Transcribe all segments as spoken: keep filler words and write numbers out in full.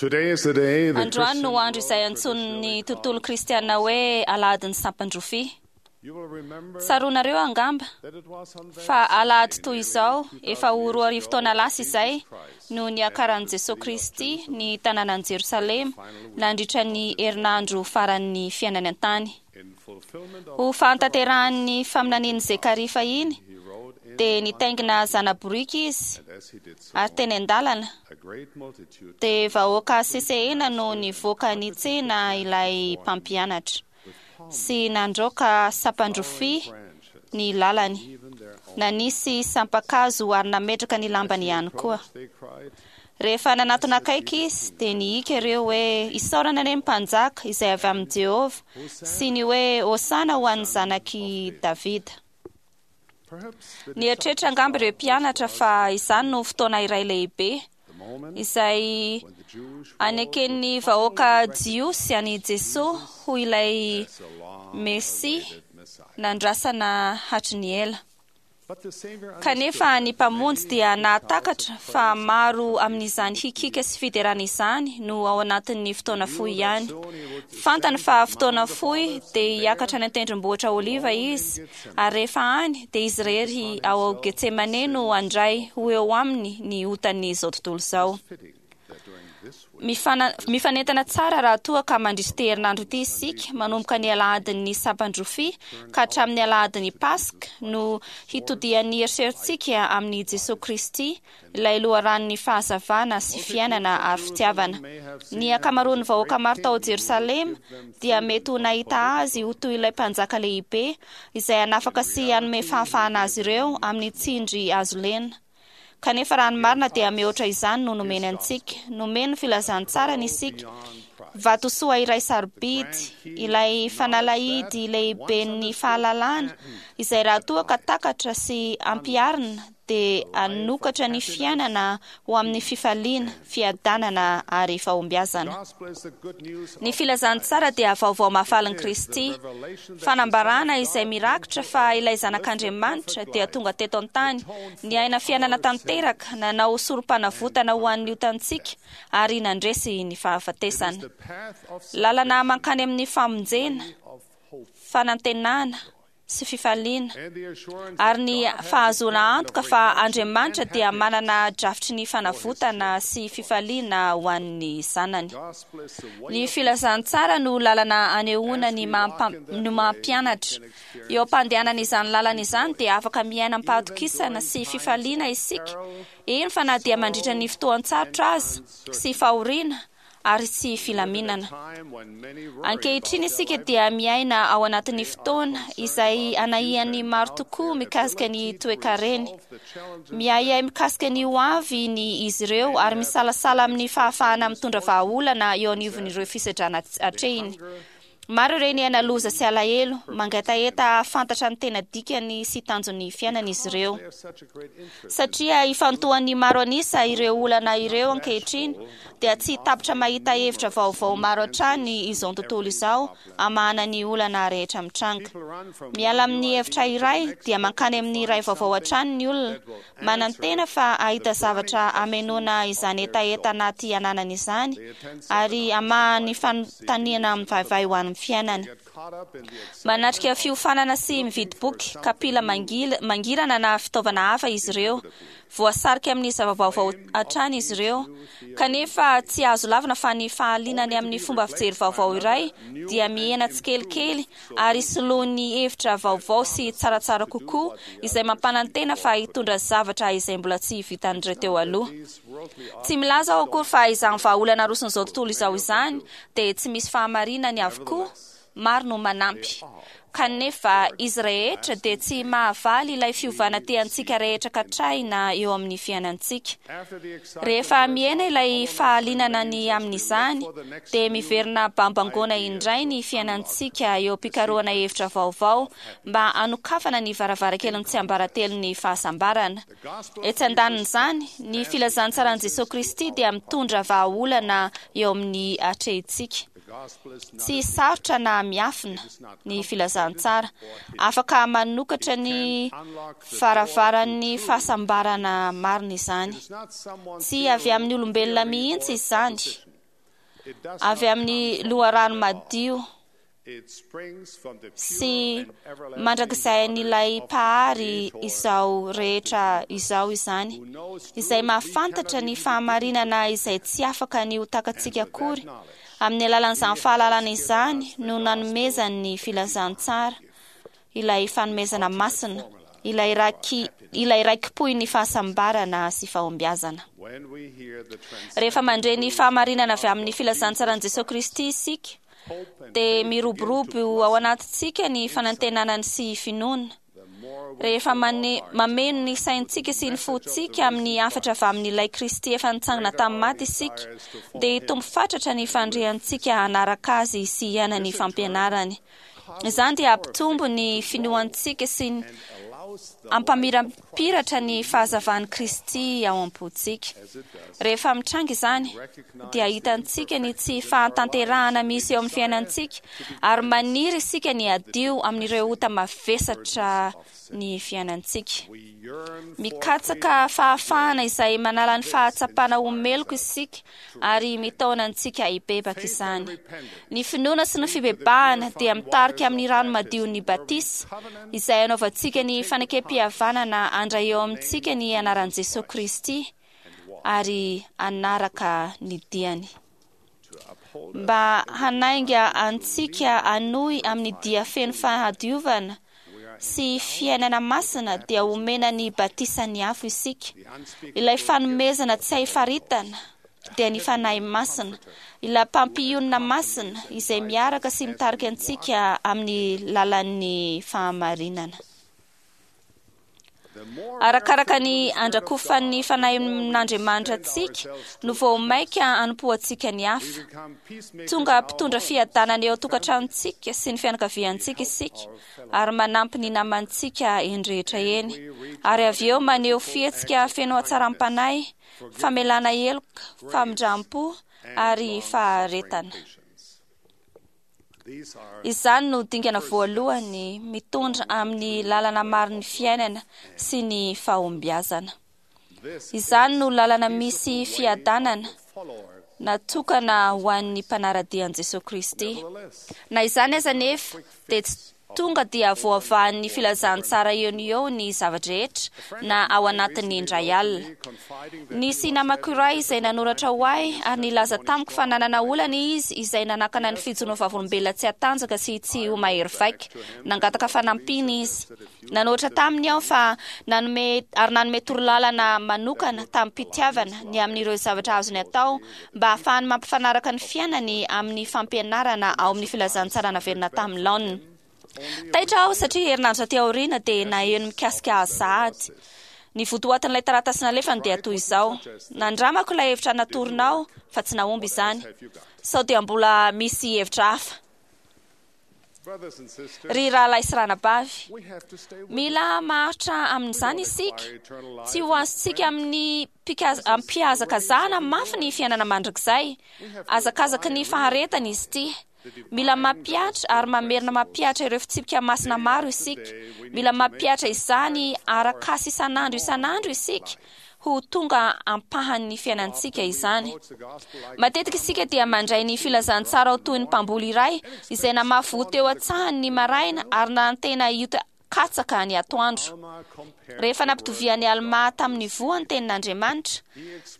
Today is the day the Androany no Christian andro izay antsoin'ny tontolo kristiana hoe alahadin'ny sampan-drofia. You will remember Tsaroanareo angamba that it was on that fa alahady Sunday toy nearly izao efa ho roa arivo taona lasa izay Jesus Christ no niakaran'i Jesosy Kristy ny tanànan'i Jerosalema nandritra ny herinandro faran'ny fiainany an-tany. in fulfillment of Ho fahatanterahan'ny faminanian'i Zekaria fahiny he rode in dia nitaingina zana-boriky izy and as he did so ary teny an-dalana a great multitude dia vahoaka sesehena no nivoaka nitsena ilay mpampianatra sy nandroaka sampan-drofia branches ny lalany even their own nanisy sampan-kazo ary nametraka ny lambany ihany koa. they cried Rehefa nanatona akaiky izy dia nihika ireo hoe isaorana anie ny mpanjaka izay avy amin'i Jehovah sy ny hoe Hosana ho an'ny zanak'i Davida. perhaps the Nieritreritra angamba ireo mpianatra fa izany no fotoana iray lehibe the moment izay when the Jewish aneken'ny vahoaka jiosy an'i Jesosy ho ilay as a long Mesia awaited Messiah. nandrasana hatry ny ela. But the Savior Kanefa ny mpamonjy dia nahatakatra fa maro amin'izany hikika sy fiderana izany no ao anatin'ny fotoana fohy ihany. Fantany fa fotoana fohy dia hiakatra any an-tendrombohitra Oliva izy, ary rehefa any dia izy irery ao Getsemane no handray ho eo aminy ny otan'izao tontolo izao. fitting that during this week Mifana- Mifanentana tsara raha toa ka mandritra ity herinandro ity isika manomboka ny alahadin'ny sampan-drofia ka hatramin'ny alahadin'ny Paska no hitodian'ny eritreritsika amin'i Jesosy Kristy ilay loharanon'ny fahazavana sy fiainana ary fitiavana. Ny ankamaroan'ny vahoaka maro tao Jerosalema dia mety ho nahita azy ho toy ilay mpanjaka lehibe izay hanafaka sy hanome fahafahana azy ireo amin'ny tsindry azo lena. Kanefa raha ny marina dia mihoatra izany no nomeny antsika. Nomeny ny filazantsarany isika. Vatosoa iray sarobidy, ilay fanalahidy lehiben'ny fahalalana, izay raha toa ka takatra sy ampiharina dia hanokatra ny fiainana ho amin'ny fifaliana, fiadanana ary fahombiazana. gospel is the good news Ny filazantsara dia vaovao mahafalin'i Kristy, fanambarana izay mirakitra fa ilay zanak'Andriamanitra dia tonga teto an-tany, niaina fiainana tanteraka, nanao sorom-panavotana ho an'ny otantsika ary nandresy ny fahafatesana. the path of Lalana mankany amin'ny famonjena, of hope fanantenana sy fifaliana and the assurance ary ny fahazoana antoka fa Andriamanitra dia manana drafitry ny fanavotana sy fifaliana ho an'ny zanany. gospel is the way Ny filazantsara no lalana anehoana ny maha- no maha-mpianatra. Eo am-pandehanana izany lalana izany dia afaka miaina am-pahatokisana sy fifaliana isika, eny fa na dia mandritra ny fotoan-tsarotra aza sy fahoriana ary tsy filaminana. time when many worry Ankehitriny isika dia miaina ao anatin'ny fotoana izay anahian'ny maro tokoa mikasika ny toekareny. the challenges Miahiahy mikasika ny ho avy ny izy ireo ary misalasala amin'ny fahafahana mitondra vahaolana eo anivon'ireo fisedrana atrehiny. Maro ireo niaina loza sy alahelo, mangetaheta hahafantatra ny tena dikany sy tanjon'ny fiainana izy ireo. they have such a great interest Satria ifantohan'ny maro an'isa ireo olana ireo ankehitriny dia tsy tapitra mahita hevitra vaovao maro hatrany izao tontolo izao hamahana ny olana rehetra mitranga. people run from Miala amin'ny hevitra iray dia mankany amin'ny iray vaovao hatrany ny olona, manantena fa hahita zavatra hamenoana izany hetaheta anaty ananany izany ary hamaha ny fanontaniana mivaivay ho an'ny fiainany. get caught up in the excitement Manatrika fiofanana sy mividy boky, kapila mangil- mangirana na fitaovana hafa izy ireo. Voasarika amin'ny zava-baovao hatrany izy ireo. Kanefa tsy azo lavina fa ny fahalinany amin'ny fomba fijery vaovao iray dia mihena tsikelikely ary soloan'ny hevitra vaovao sy tsaratsara kokoa izay mampanantena fa hitondra zavatra izay mbola tsy vitan'ireo teo aloha. these worldly Tsy milaza aho akory fa izany vahaolana aroson'izao tontolo izao izany dia tsy misy fahamarinany avokoa, maro no manampy. Kanefa izy rehetra dia tsy mahavaly ilay fiovana tiantsika rehetra katrahina eo amin'ny fiainantsika. after the excitement Rehefa mihena ilay fahalinana ny amin'izany dia miverina bambangoana indray ny fiainantsika eo am-pikarohana hevitra vaovao mba hanokafana ny varavarakelin'ny tsiambaratelon'ny fahasambarana. gospel Etsy an-danin'izany, ny filazantsaran'i Jesosy Kristy dia mitondra vahaolana eo amin'ny atrehintsika. the gospel is not Tsy sarotra na miafina ny filazantsara. Afaka manokatra ny varavaran'ny fahasambarana marina izany. it's not someone's Tsy avy amin'ny olombelona mihitsy izany. Avy amin'ny loharano madio sy mandrakizay an'ilay Mpahary izao rehetra izao izany, izay mahafantatra ny fahamarinana izay tsy afaka ny ho takatsika akory. Amin'ny alalan'izany fahalalana izany no nanomezany ny filazantsara, ilay fanomezana masina, ilay raki ilay raikipohin'ny fahasambarana sy fahombiazana. Rehefa mandre ny fahamarinana avy amin'ny filazantsaran'i Jesosy Kristy isika, dia miroborobo ao anatintsika ny fanantenana sy finoana. Rehefa mane mameno ny saintsika sy ny fontsika amin'ny hafatra avy amin'ilay Kristy efa nitsangana tamin'ny maty isika, dia hitombo fatratra ny fandriantsika hanaraka azy sy hiaina ny fampianarany. Izany dia hampitombo ny finoantsika sy ny hampamirapiratra ny fahazavan'i Kristy ao am-pontsika. Rehefa mitranga izany, dia hitantsika ny tsy fahatanterahana misy eo amin'ny fiainantsika, ary maniry isika ny hadio amin'ireo ota mavesatra ny fiainantsika. Mikatsaka fahafahana izay manala ny fahatsapana ho meloka isika ary mitaona antsika hibebaka izany. Ny finoana sy ny fibebahana dia mitarika amin'ny rano madion'ny batisa, izay anaovantsika ny fanekem-pihavanana handray eo amintsika ny anaran'i Jesosy Kristy ary hanaraka ny diany. Mba hanainga antsika hanohy amin'ny dia feno fahadiovana sy fiainana masina, dia omena ny batisan'ny afo isika. Ilay fanomezana tsy hay faritana dia ny Fanahy Masina, ilay mpampionona masina izay miaraka sy mitarika antsika amin'ny lalan'ny fahamarinana. Arakaraka ny andrakofan'ny Fanahin'Andriamanitra antsika no vao maika hanompoantsika ny hafa. Tonga mpitondra fiadanana eo an-tokantranontsika sy ny fianakaviantsika isika, ary manampy ny namantsika eny rehetra eny, ary avy eo maneho fihetsika feno hatsaram-panahy, famelana heloka, famindram-po ary faharetana. Izany no dingana voalohany mitondra amin'ny lalana marin'ny fiainana sy ny fahombiazana. Izany no lalana misy fiadanana natokana ho an'ny mpanara-dia an'i Jesosy Kristy. Na izany aza nefa, dia tsy tonga dia voavahan'ny filazantsara eo no eo ny zava-drehetra na ao anatin'ny indray alina. Nisy namako iray izay nanoratra ho ahy ary nilaza tamiko fa nanana olana izy izay nanakana ny fijoroany vavolombelona tsy hatanjaka sy tsy ho mahery vaika. Nangataka fanampiana izy. Nanoratra taminy aho fa nanome ary nanome torolalana manokana tamin'ny-pitiavana ny amin'ireo zavatra azony atao mba hahafahany mampifanaraka ny fiainany amin'ny fampianarana ao amin'ny filazantsara naverina tamin'ny laoniny. Taitra aho satria herinandro taty aoriana dia naheno mikasika azy sahady. Ny votoatin'ilay taratasy nalefany dia toy izao: nandramako ilay hevitra natoronao fa tsy nahomby izany. Sao dia mbola misy hevitra hafa? Ry rahalahy sy ranabavy, mila maharitra amin'izany isika. Tsy ho azontsika amin'ny mpihazakazahana mafy ny fiainana mandrakizay. Hazakazaky ny faharetana izy ity. Mila mampihatra ary mamerina mampihatra ireo fitsipika masina maro isika. Mila mampihatra izany arak'asa isan'andro isan'andro isika ho tonga ampahan'ny fiainantsika izany. Matetika isika dia mandray ny filazantsara ho toy ny mpamboly iray izay namafy voa teo an-tsahany ny maraina ary nanantena hioty katsaka ny atoandro. Rehefa nampitovian'i Alma tamin'ny voa ny tenin'Andriamanitra,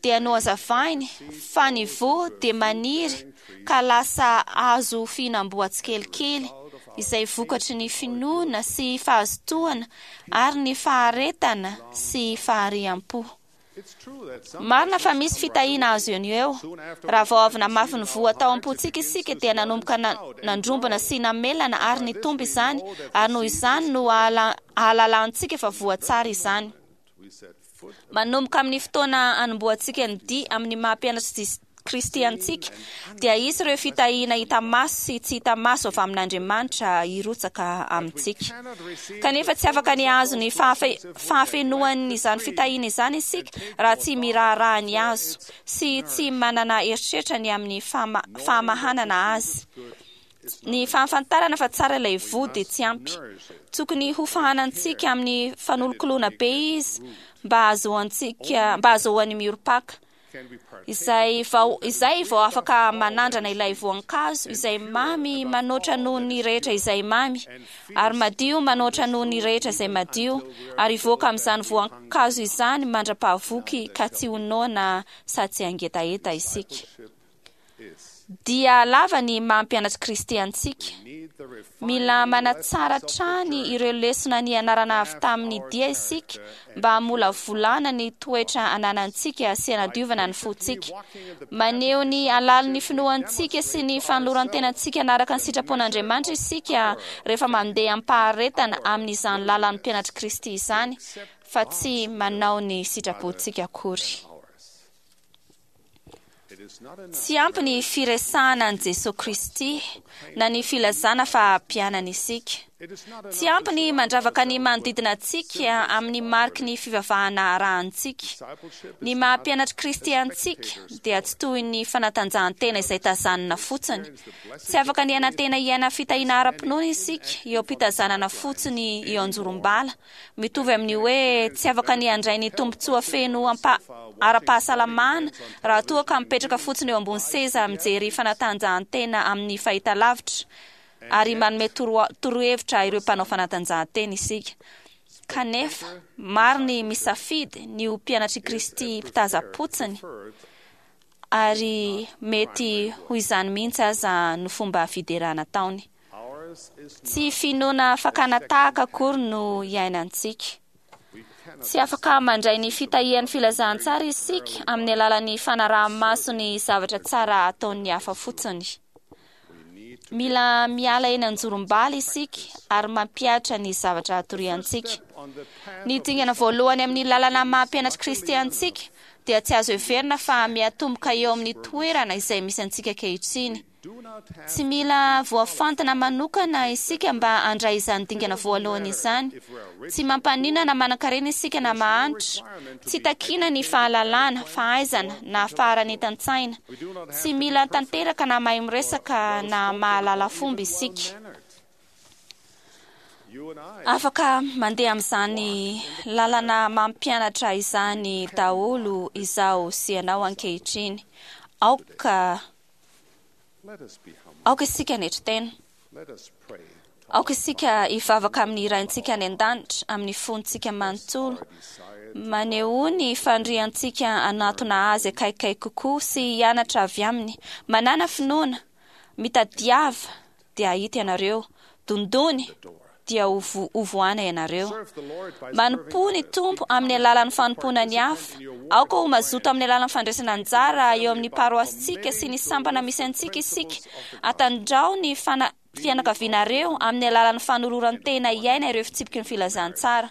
dia nohazavainy fa ny voa dia maniry ka lasa hazo fihinam-boa tsikelikely, izay vokatry ny finoana sy fahazotoana ary ny faharetana sy fahariam-po. Marina fa misy fitahiana azo eo no eo. Raha vao avy namafy ny voa tao am-pontsika isika, dia nanomboka nandrombona sy namelana ary nitombo izany, ary noho izany no ahalalantsika fa voa tsara izany. Manomboka amin'ny fotoana anombohantsika ny dia amin'ny maha mpianatr'i Kristy antsika, dia hisy ireo fitahiana hita maso sy tsy hita maso avy amin'Andriamanitra hirotsaka amintsika. Kanefa tsy afaka ny hahazo ny fahafenoan'izany fitahiana izany isika raha tsy miraharaha ny hazo sy tsy manana eritreritra ny amin'ny fahamahanana azy. Ny fahafantarana fa tsara ilay voa dia tsy ampy. Tokony ho fahanantsika amin'ny fanolokoloana be izy mba hahazoantsika mba hahazoany miorim-paka. Izay vao izay vao afaka manandrana ilay voankazo izay mamy manoatra noho ny rehetra izay mamy, ary madio manoatra noho ny rehetra izay madio, ary hivoaka amin'izany voankazo izany mandra-pahavoky ka tsy ho noana sady tsy hangetaheta isika. Dia lava ny maha mpianatr'i Kristy antsika. Mila manatsara hatrany ireo lesona nianarana avy tamin'ny dia isika mba hamolavolana ny toetra ananantsika sy hanadiovana ny fontsika. Maneho ny halalin'ny finoantsika sy ny fanoloran-tenantsika hanaraka ny sitrapon'Andriamanitra isika rehefa mandeha am-paharetana amin'izany lalan'ny mpianatr'i Kristy izany, fa tsy manao ny sitrapontsika akory. Tsy ampy ny firesahana an'i Jesoa Kristy na ny filazana fa mpianany isika. Tsy ampy ny mandravaka ny manodidina antsika amin'ny mariky ny fivavahana arahantsika. Ny maha mpianatr'i Kristy antsika dia tsy toy ny fanatanjahantena izay tazanina fotsiny. Tsy afaka ny hanantena hiaina fitahiana ara-pinoana isika eo am-pitazanana fotsiny eo anjorom-bala. Mitovy amin'ny hoe tsy afaka ny handray ny tombontsoa feno ara-pahasalamana raha toa ka mipetraka fotsiny eo ambony seza mijery fanatanjahantena amin'ny fahitalavitra ary manome torohevitra ireo mpanao fanatanjahantena isika. Kanefa, maro ny misafidy ny ho mpianatr'i Kristy mpitaza-potsiny, ary mety ho izany mihitsy aza no fomba fiderana ataony. Tsy finoana fakana tahaka akory no iainantsika. Tsy afaka mandray ny fitahian'ny filazantsara isika amin'ny alalan'ny fanaraha-maso ny zavatra tsara ataon'ny hafa fotsiny. Mila miala eny anjorom-bala isika ary mampihatra ny zavatra atoriantsika. Ny dingana voalohany amin'ny lalana maha mpianatr'i Kristy antsika dia tsy azo heverina fa miatomboka eo amin'ny toerana izay misy antsika ankehitriny. Tsy mila voafantina manokana isika mba handray izany dingana voalohany izany. Tsy mampaninona na manan-karena isika na mahantra. Tsy takiana ny fahalalana, fahaizana na faharanitan-tsaina. Tsy mila tanteraka na mahay miresaka na mahalala fomba isika. Afaka mandeha amin'izany lalana mampianatra izany daholo izaho sy ianao ankehitriny. Aoka Aoka isika hanetry tena. Aoka isika hivavaka amin'ny Raintsika any an-danitra amin'ny fontsika manontolo. Manehoa ny faniriantsika hanatona Azy akaikikaiky kokoa sy hianatra avy Aminy. Manàna finoana. Mitadiava, dia hahita ianareo. Dondony, dia ho vohana ianareo. Manompoa ny Tompo amin'ny alalan'ny fanompoana ny hafa. Aoka ho mazoto amin'ny alalan'ny fandraisana anjara eo amin'ny paroasintsika sy ny sampana misy antsika isika. Atandrao ny fana fianakavianareo amin'ny alalan'ny fanoloran-tena hiaina ireo fitsipiky ny filazantsara.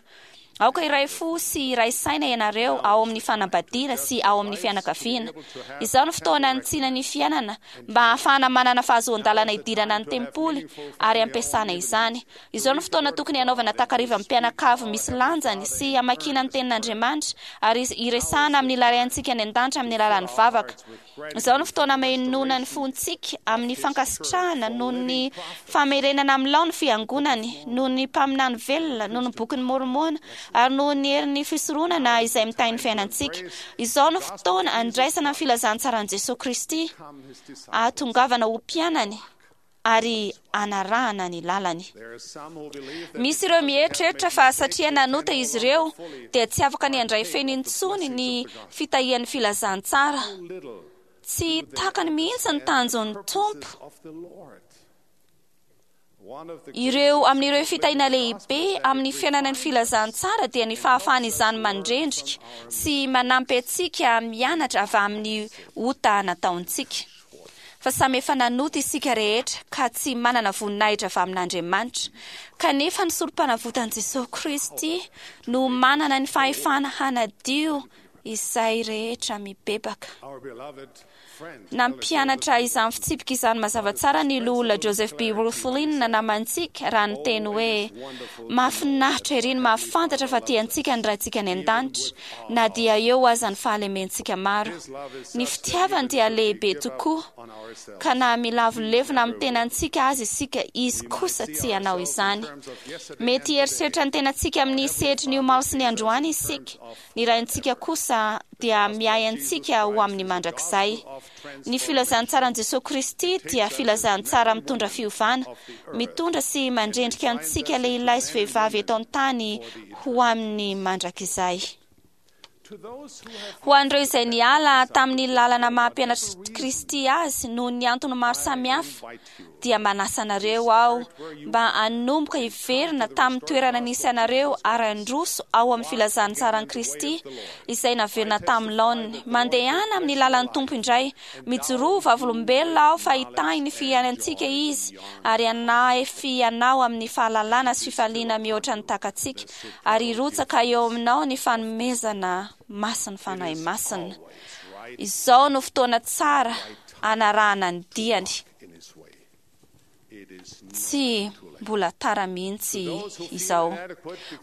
Aoka hiray fo sy hiray saina ianareo ao amin'ny fanambadiana sy ao amin'ny fianakaviana. Izao no fotoana hanitsiana ny fiainana mba hahafahana manana fahazoan-dalana hidirana ny tempoly ary hampiasana izany. Izao no fotoana tokony hanaovana takariva mpianakavy misy lanjany sy hamakiana ny tenin'Andriamanitra ary hiresahana amin'ny Raintsika any an-danitra amin'ny alalan'ny vavaka. Izao no fotoana hamenoana ny fontsika amin'ny fankasitrahana noho ny famerenana amin'ny lao ny fiangonany, noho ny mpaminany velona, noho ny bokin'i Môrmôna, ary noho ny herin'ny fisoronana izay mitahy ny fiainantsika. Izao no fotoana handraisana ny filazantsaran'i Jesoa Kristy, hahatongavana ho mpianany, ary hanarahana ny lalany. Misy ireo mieritreritra fa satria nanota izy ireo dia tsy afaka ny handray feno intsony ny fitahian'ny filazantsara. Tsy takany mihitsy ny tanjon'ny Tompo. Ireo amin'ireo fitahiana lehibe amin'ny fiainana ny filazantsara dia ny fahafahan'izany mandrendrika sy manampy antsika mianatra avy amin'ny ota nataontsika. Fa samy efa nanota isika rehetra ka tsy manana voninahitra avy amin'Andriamanitra. Kanefa ny sorompanavotan'i Jesoa Kristy no manana ny fahefana hanadio izay rehetra mibebaka. Nampianatra izany fitsipika izany mazava tsara ny loholona Joseph B. Wirthlin namantsika raha niteny hoe, Mahafinaritra ery ny mahafantatra fa tia antsika ny Raintsika any an-danitra, na dia eo aza ny fahalementsika maro. Ny fitiavany dia lehibe tokoa Ka na milavolevona amin'ny tenantsika azy isika, izy kosa tsy hanao izany. Mety hieritreritra ny tenantsika amin'ny sehatry ny omaly sy ny androany isika. Ny Raintsika kosa dia miahy antsika ho amin'ny mandrakizay. Ny filazantsaran'i Jesosy Kristy dia filazantsara mitondra fiovana, mitondra sy mandrendrika antsika lehilahy sy vehivavy eto an-tany ho amin'ny mandrakizay. Ho an'ireo izay niala tamin'ny lalana maha-mpianatr'i Kristy azy noho ny antony maro samihafa, dia manasa anareo aho mba hanomboka hiverina tamin'ny toerana nisy anareo ary handroso ao amin'ny filazantsaran'i Kristy izay naverina tamin'ny laoniny. Mandehana amin'ny lalan'ny Tompo indray. Mijoroa vavolombelona aho fa hitahy ny fiainantsika Izy ary hanahy anao amin'ny fahalalana sy fifaliana mihoatra ny takatsika, ary hirotsaka eo aminao ny fanomezana masin'ny Fanahy Masina. Izao no fotoana tsara hanarahana ny diany. Tsy mbola tara mihitsy izao.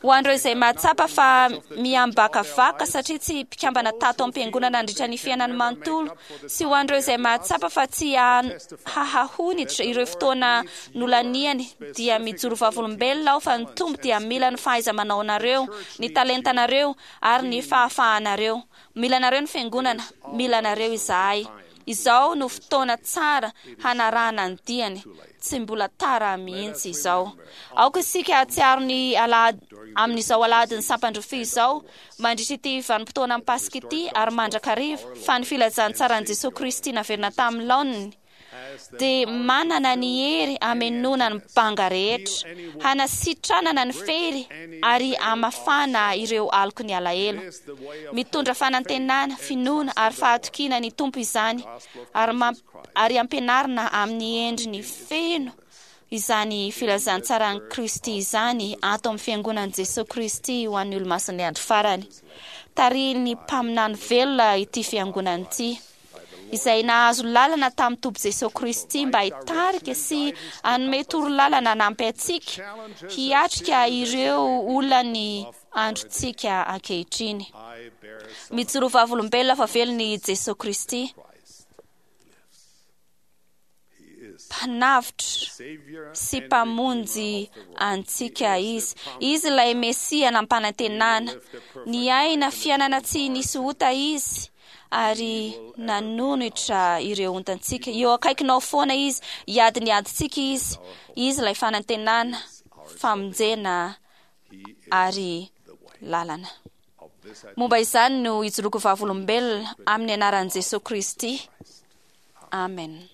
Ho an'ireo izay mahatsapa fa miambakavaka satria tsy mpikambana tato am-piangonana nandritra ny fiainany manontolo, sy ho an'ireo izay mahatsapa fa tsy hahahonitra ireo fotoana nolaniany, dia mijoro vavolombelona aho fa ny Tompo dia mila ny fahaiza-manao anareo, ny talentanareo ary ny fahafahanareo. Mila anareo ny fiangonana, mila anareo izahay. Izao no fotoana tsara hanarahana ny diany. Tsy mbola tara mihitsy izao. Aoka isika hahatsiaro ny alahady amin'izao alahadin'ny sampandrofia izao, mandritra ity vanim-potoana amin'ny Paska ity ary mandrakariva, fa ny filazantsaran'i Jesosy Kristy naverina tamin'ny laoniny dia manana ny hery hamenoana ny banga rehetra, hanasitranana ny fery ary hamafana ireo aloky ny alahelo. Mitondra fanantenana, finoana ary fahatokiana ny Tompo izany, ary mamp- ary ampianarina amin'ny endriny feno izany filazantsaran'i Kristy izany ato amin'ny fiangonan'i Jesosy Kristy ho an'ny olomasin'ny andro farany. Tarihin'ny mpaminany velona ity fiangonana ity, izay nahazo lalana tamin'ny Tompo Jesosy Kristy mba hitarika sy hanome torolalana hanampy antsika hiatrika ireo olan'ny androntsika ankehitriny. Mijoro vavolombelona fa velona i Jesosy Kristy, mpanavotra sy mpamonjy antsika Izy. Izy ilay Mesia nampanantenana. Niaina fiainana tsy nisy ota Izy ary nanonitra ireo otantsika. Eo akaikinao foana Izy, hiady ny adintsika Izy. Izy ilay fanantenana, famonjena ary lalana. Momba izany no ijoroako vavolombelona amin'ny anaran'i Jesosy Kristy. Amen.